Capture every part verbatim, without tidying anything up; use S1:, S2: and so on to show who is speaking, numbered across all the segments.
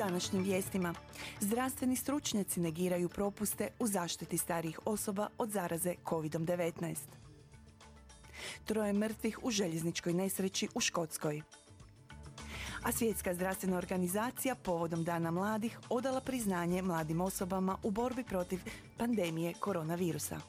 S1: današnjim vijestima. Zdravstveni stručnjaci negiraju propuste u zaštiti starijih osoba od zaraze kovid devetnaest. Troje mrtvih u željezničkoj nesreći u Škotskoj. A Svjetska zdravstvena organizacija povodom Dana mladih odala priznanje mladim osobama u borbi protiv pandemije koronavirusa.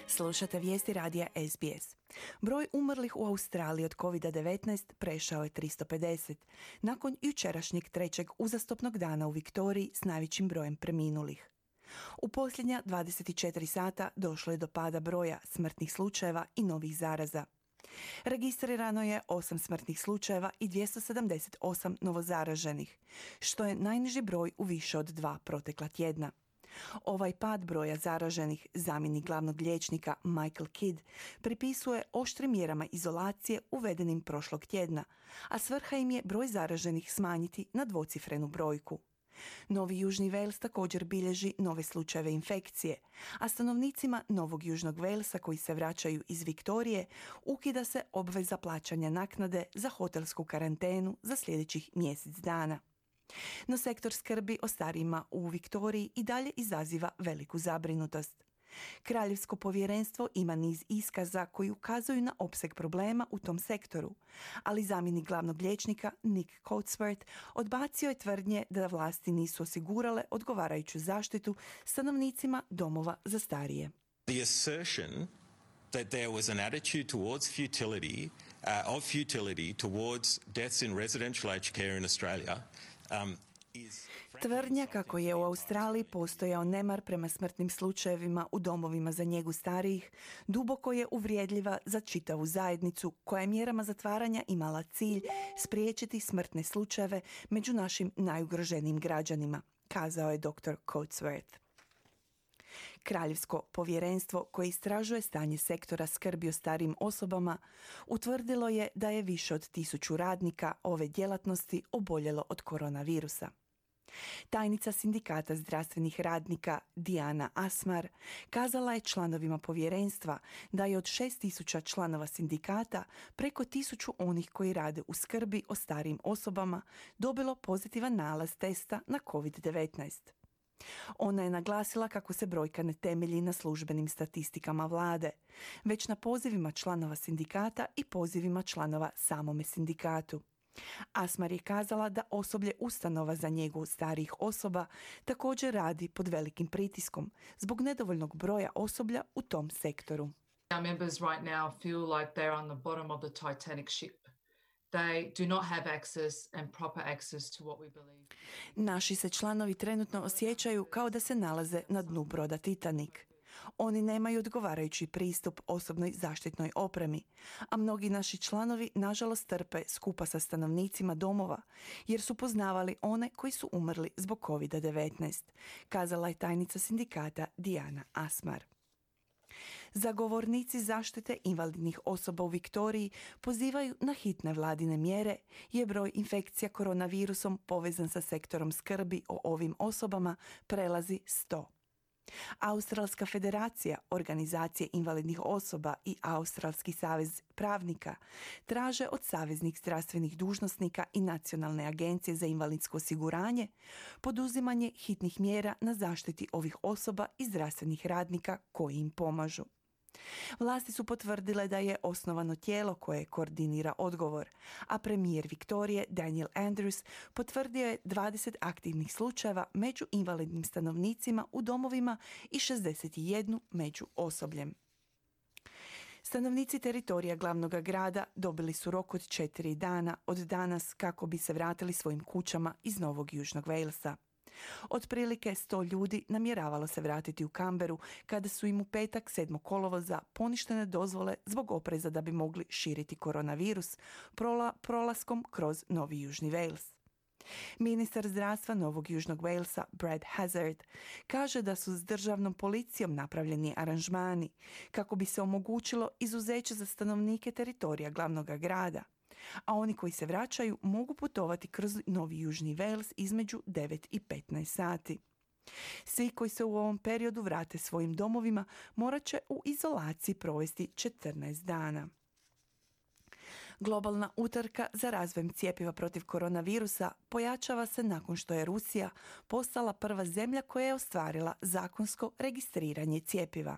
S1: Slušate vijesti radija S B S. Broj umrlih u Australiji od kovid devetnaest prešao je tristo pedeset, nakon jučerašnjeg trećeg uzastopnog dana u Viktoriji s najvećim brojem preminulih. U posljednja dvadeset četiri sata došlo je do pada broja smrtnih slučajeva i novih zaraza. Registrirano je osam smrtnih slučajeva i dvjesto sedamdeset osam novozaraženih, što je najniži broj u više od dva protekla tjedna. Ovaj pad broja zaraženih zamjenik glavnog liječnika Michael Kidd pripisuje oštrim mjerama izolacije uvedenim prošlog tjedna, a svrha im je broj zaraženih smanjiti na dvocifrenu brojku. Novi Južni Wales također bilježi nove slučajeve infekcije, a stanovnicima Novog Južnog Walesa koji se vraćaju iz Viktorije ukida se obveza plaćanja naknade za hotelsku karantenu za sljedećih mjesec dana. No sektor skrbi o starijima u Viktoriji i dalje izaziva veliku zabrinutost. Kraljevsko povjerenstvo ima niz iskaza koji ukazuju na opseg problema u tom sektoru, ali zamjenik glavnog liječnika Nick Coatsworth odbacio je tvrdnje da vlasti nisu osigurale odgovarajuću zaštitu stanovnicima domova za starije.
S2: The assertion that there was an attitude towards futility, uh, of futility towards deaths in residential aged care in Australia um,
S1: Tvrdnja kako je u Australiji postojao nemar prema smrtnim slučajevima u domovima za njegu starijih duboko je uvrijedljiva za čitavu zajednicu koja je mjerama zatvaranja imala cilj spriječiti smrtne slučajeve među našim najugroženijim građanima, kazao je doktor Coatsworth. Kraljevsko povjerenstvo koje istražuje stanje sektora skrbi o starijim osobama utvrdilo je da je više od tisuću radnika ove djelatnosti oboljelo od koronavirusa. Tajnica sindikata zdravstvenih radnika Diana Asmar kazala je članovima povjerenstva da je od šest tisuća članova sindikata preko tisuću onih koji rade u skrbi o starijim osobama dobilo pozitivan nalaz testa na kovid devetnaest. Ona je naglasila kako se brojka ne temelji na službenim statistikama vlade, već na pozivima članova sindikata i pozivima članova samome sindikatu. Asmar je kazala da osoblje ustanova za njegu starijih osoba također radi pod velikim pritiskom zbog nedovoljnog broja osoblja u tom sektoru.
S3: Our members right now feel like they're on the bottom of the Titanic ship. They do not have access and proper access to what we believe.
S1: Naši se članovi trenutno osjećaju kao da se nalaze na dnu broda Titanic. Oni nemaju odgovarajući pristup osobnoj zaštitnoj opremi, a mnogi naši članovi nažalost trpe skupa sa stanovnicima domova jer su poznavali one koji su umrli zbog kovid devetnaest, kazala je tajnica sindikata Diana Asmar. Zagovornici zaštite invalidnih osoba u Viktoriji pozivaju na hitne vladine mjere jer broj infekcija koronavirusom povezan sa sektorom skrbi o ovim osobama prelazi sto. Australska federacija, organizacije invalidnih osoba i Australski savez pravnika traže od saveznih zdravstvenih dužnosnika i Nacionalne agencije za invalidsko osiguranje poduzimanje hitnih mjera na zaštiti ovih osoba i zdravstvenih radnika koji im pomažu. Vlasti su potvrdile da je osnovano tijelo koje koordinira odgovor, a premijer Viktorije Daniel Andrews potvrdio je dvadeset aktivnih slučajeva među invalidnim stanovnicima u domovima i šezdeset jedan među osobljem. Stanovnici teritorija glavnog grada dobili su rok od četiri dana od danas kako bi se vratili svojim kućama iz Novog Južnog Walesa. Otprilike sto ljudi namjeravalo se vratiti u Canberru kada su im u petak sedmog kolovoza poništene dozvole zbog opreza da bi mogli širiti koronavirus prola, prolaskom kroz Novi Južni Wales. Ministar zdravstva Novog Južnog Walesa Brad Hazzard kaže da su s državnom policijom napravljeni aranžmani kako bi se omogućilo izuzeće za stanovnike teritorija glavnog grada, a oni koji se vraćaju mogu putovati kroz Novi Južni Wales između devet i petnaest sati. Svi koji se u ovom periodu vrate svojim domovima morat će u izolaciji provesti četrnaest dana. Globalna utrka za razvojem cjepiva protiv koronavirusa pojačava se nakon što je Rusija postala prva zemlja koja je ostvarila zakonsko registriranje cjepiva.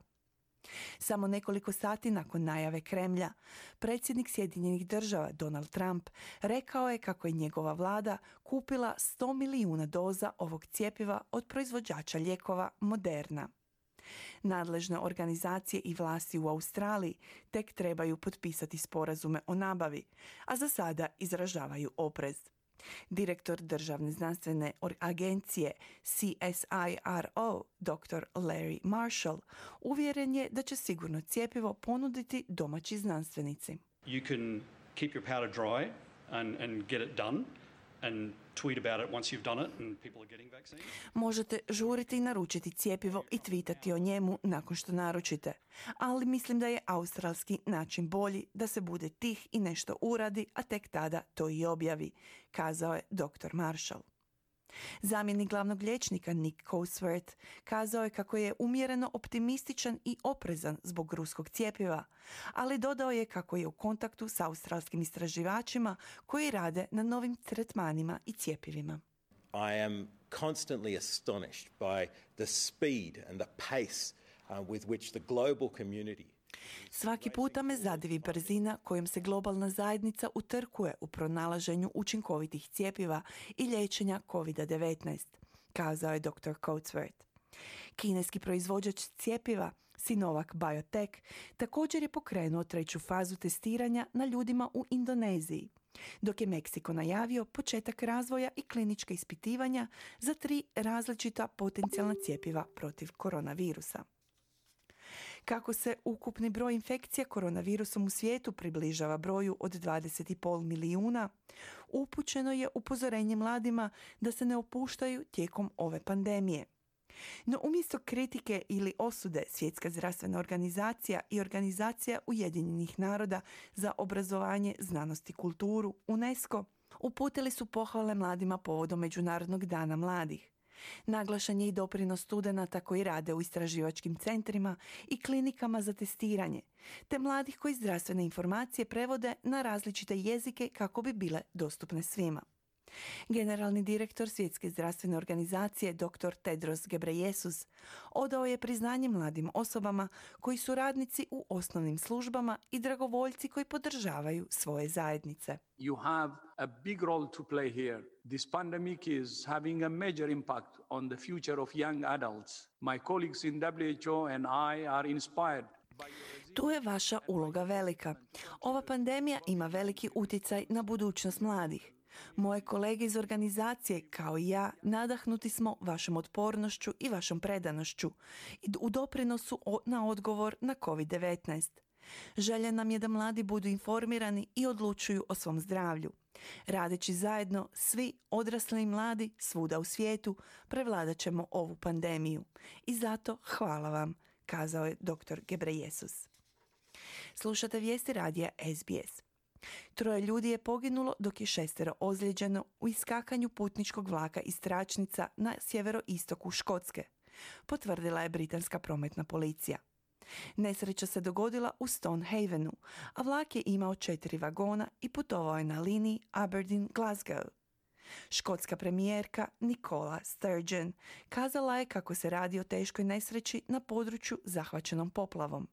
S1: Samo nekoliko sati nakon najave Kremlja, predsjednik Sjedinjenih država Donald Trump rekao je kako je njegova vlada kupila sto milijuna doza ovog cjepiva od proizvođača lijekova Moderna. Nadležne organizacije i vlasti u Australiji tek trebaju potpisati sporazume o nabavi, a za sada izražavaju oprez. Direktor državne znanstvene agencije C S I R O, doktor Larry Marshall, uvjeren je da će sigurno cjepivo ponuditi domaći znanstvenici.
S4: You can keep your powder dry and, and get it done. And tweet about it once you've done it and people are getting vaccines.
S1: Možete žuriti i naručiti cjepivo i tweetati o njemu nakon što naručite. Ali mislim da je australski način bolji, da se bude tih i nešto uradi, a tek tada to i objavi, kazao je doktor Marshall. Zamjenik glavnog liječnika Nick Cosworth kazao je kako je umjereno optimističan i oprezan zbog ruskog cjepiva, ali dodao je kako je u kontaktu s australskim istraživačima koji rade na novim tretmanima i cjepivima.
S2: I am constantly astonished by the speed and the pace uh, with which the global community.
S1: Svaki puta me zadivi brzina kojom se globalna zajednica utrkuje u pronalaženju učinkovitih cjepiva i liječenja kovid devetnaest, kazao je doktor Cosworth. Kineski proizvođač cjepiva Sinovac Biotech također je pokrenuo treću fazu testiranja na ljudima u Indoneziji, dok je Meksiko najavio početak razvoja i klinička ispitivanja za tri različita potencijalna cjepiva protiv koronavirusa. Kako se ukupni broj infekcija koronavirusom u svijetu približava broju od dvadeset i pol milijuna, upućeno je upozorenje mladima da se ne opuštaju tijekom ove pandemije. No umjesto kritike ili osude, Svjetska zdravstvena organizacija i Organizacija Ujedinjenih naroda za obrazovanje, znanost i kulturu, UNESCO, uputili su pohvale mladima povodom Međunarodnog dana mladih. Naglašen je i doprinos studenata koji rade u istraživačkim centrima i klinikama za testiranje, te mladih koji zdravstvene informacije prevode na različite jezike kako bi bile dostupne svima. Generalni direktor Svjetske zdravstvene organizacije doktor Tedros Ghebreyesus odao je priznanje mladim osobama koji su radnici u osnovnim službama i dragovoljci koji podržavaju svoje zajednice.
S5: You have a big role to play here. This pandemic is having a major impact on the future of young adults. My colleagues in W H O and I are inspired.
S1: Tu je vaša uloga velika. Ova pandemija ima veliki utjecaj na budućnost mladih. Moje kolege iz organizacije, kao i ja, nadahnuti smo vašom otpornošću i vašom predanošću u doprinosu na odgovor na kovid devetnaest. Želja nam je da mladi budu informirani i odlučuju o svom zdravlju. Radeći zajedno, svi odrasli i mladi svuda u svijetu prevladat ćemo ovu pandemiju. I zato hvala vam, kazao je doktor Ghebreyesus. Slušate vijesti radija S B S. Troje ljudi je poginulo dok je šestero ozlijeđeno u iskakanju putničkog vlaka iz tračnica na sjeveroistoku Škotske, potvrdila je britanska prometna policija. Nesreća se dogodila u Stonehavenu, a vlak je imao četiri vagona i putovao je na liniji Aberdeen-Glasgow. Škotska premijerka Nicola Sturgeon kazala je kako se radi o teškoj nesreći na području zahvaćenom poplavom.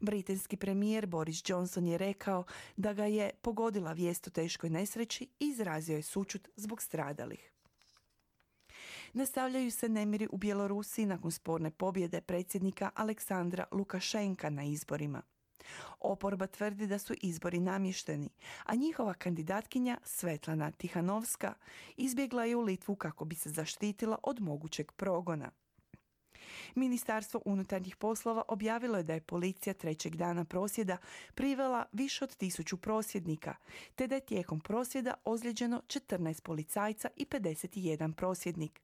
S1: Britanski premijer Boris Johnson je rekao da ga je pogodila vijest o teškoj nesreći i izrazio je sućut zbog stradalih. Nastavljaju se nemiri u Bjelorusiji nakon sporne pobjede predsjednika Aleksandra Lukašenka na izborima. Oporba tvrdi da su izbori namješteni, a njihova kandidatkinja Svetlana Tihanovska izbjegla je u Litvu kako bi se zaštitila od mogućeg progona. Ministarstvo unutarnjih poslova objavilo je da je policija trećeg dana prosvjeda privela više od tisuću prosvjednika, te da je tijekom prosvjeda ozlijeđeno četrnaest policajca i pedeset jedan prosvjednik.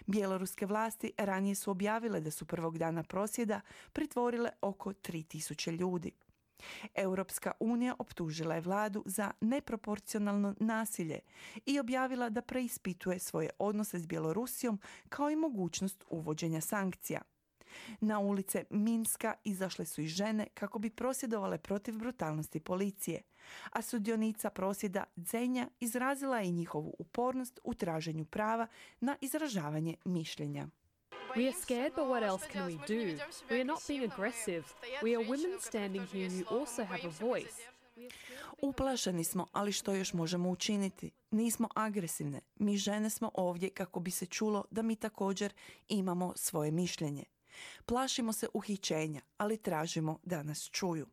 S1: Bjeloruske vlasti ranije su objavile da su prvog dana prosvjeda pritvorile oko tri tisuće ljudi. Europska unija optužila je vladu za neproporcionalno nasilje i objavila da preispituje svoje odnose s Bjelorusijom kao i mogućnost uvođenja sankcija. Na ulice Minska izašle su i žene kako bi prosvjedovale protiv brutalnosti policije, a sudionica prosvjeda Dzenja izrazila je njihovu upornost u traženju prava na izražavanje mišljenja.
S6: We are scared, but what else can we do? We are not being aggressive. We are women standing here who also have a voice.
S1: Uplašeni smo, ali što još možemo učiniti? Nismo agresivne. Mi žene smo ovdje kako bi se čulo da mi također imamo svoje mišljenje. Plašimo se uhićenja, ali tražimo da nas čuju.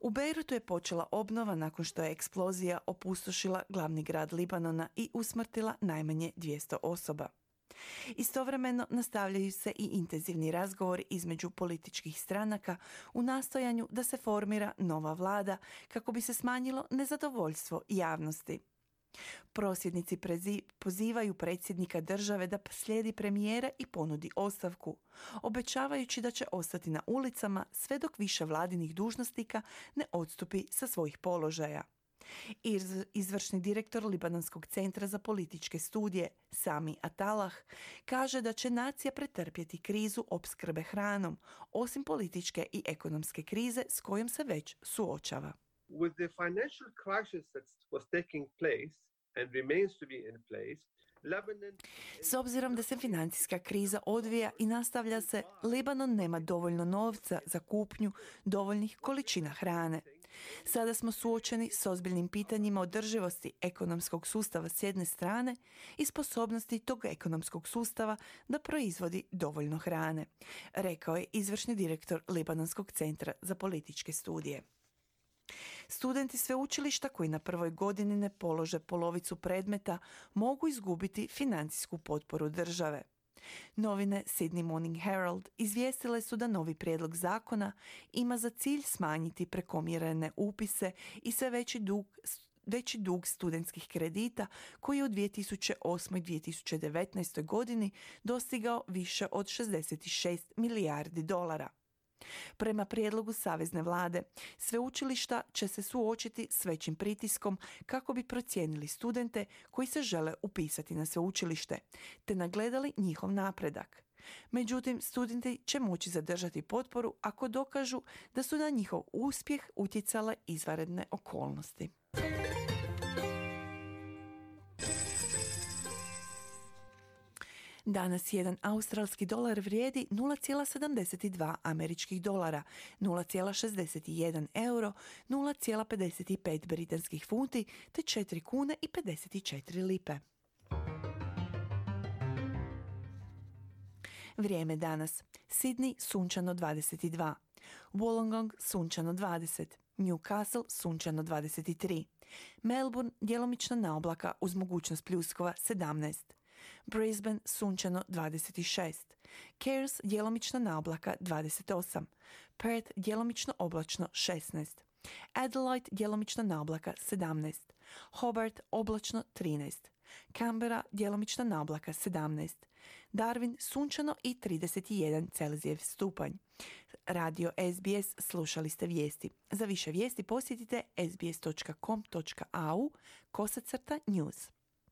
S1: U Bejrutu je počela obnova nakon što je eksplozija opustošila glavni grad Libanona i usmrtila najmanje dvjesto osoba. Istovremeno nastavljaju se i intenzivni razgovori između političkih stranaka u nastojanju da se formira nova vlada kako bi se smanjilo nezadovoljstvo javnosti. Prosvjednici prezi- pozivaju predsjednika države da slijedi premijera i ponudi ostavku, obećavajući da će ostati na ulicama sve dok više vladinih dužnosnika ne odstupi sa svojih položaja. Iz- izvršni direktor Libanonskog centra za političke studije, Sami Atalah, kaže da će nacija pretrpjeti krizu opskrbe hranom, osim političke i ekonomske krize s kojom se već suočava.
S7: With the financial crisis that was taking place and remains to be in place, Lebanon...
S1: S obzirom da se financijska kriza odvija i nastavlja se, Libanon nema dovoljno novca za kupnju dovoljnih količina hrane. Sada smo suočeni s ozbiljnim pitanjima održivosti ekonomskog sustava s jedne strane i sposobnosti tog ekonomskog sustava da proizvodi dovoljno hrane, rekao je izvršni direktor Libanonskog centra za političke studije. Studenti sveučilišta koji na prvoj godini ne polože polovicu predmeta mogu izgubiti financijsku potporu države. Novine Sydney Morning Herald izvijestile su da novi prijedlog zakona ima za cilj smanjiti prekomjerene upise i sve veći dug, veći dug studentskih kredita koji je u dvije tisuće osmoj i dvije tisuće devetnaestoj godini dostigao više od šezdeset šest milijardi dolara. Prema prijedlogu savezne vlade, sveučilišta će se suočiti s većim pritiskom kako bi procijenili studente koji se žele upisati na sveučilište, te nagledali njihov napredak. Međutim, studenti će moći zadržati potporu ako dokažu da su na njihov uspjeh utjecale izvanredne okolnosti. Danas jedan australski dolar vrijedi nula zarez sedamdeset dva američkih dolara, nula zarez šezdeset jedan euro, nula zarez pedeset pet britanskih funti te četiri kune i pedeset četiri lipe. Vrijeme danas. Sydney sunčano dvadeset dva, Wollongong sunčano dvadeset, Newcastle sunčano dvadeset tri, Melbourne djelomično na oblaka uz mogućnost pljuskova sedamnaest, Brisbane sunčano dvadeset šest, Cairns djelomično na oblaka dvadeset osam, Perth djelomično oblačno šesnaest, Adelaide djelomično na oblaka sedamnaest, Hobart oblačno trinaest, Canberra djelomično na oblaka sedamnaest, Darwin sunčano i trideset jedan Celzijev stupanj. Radio S B S, slušali ste vijesti. Za više vijesti posjetite s b s dot com dot a u kosacrta news.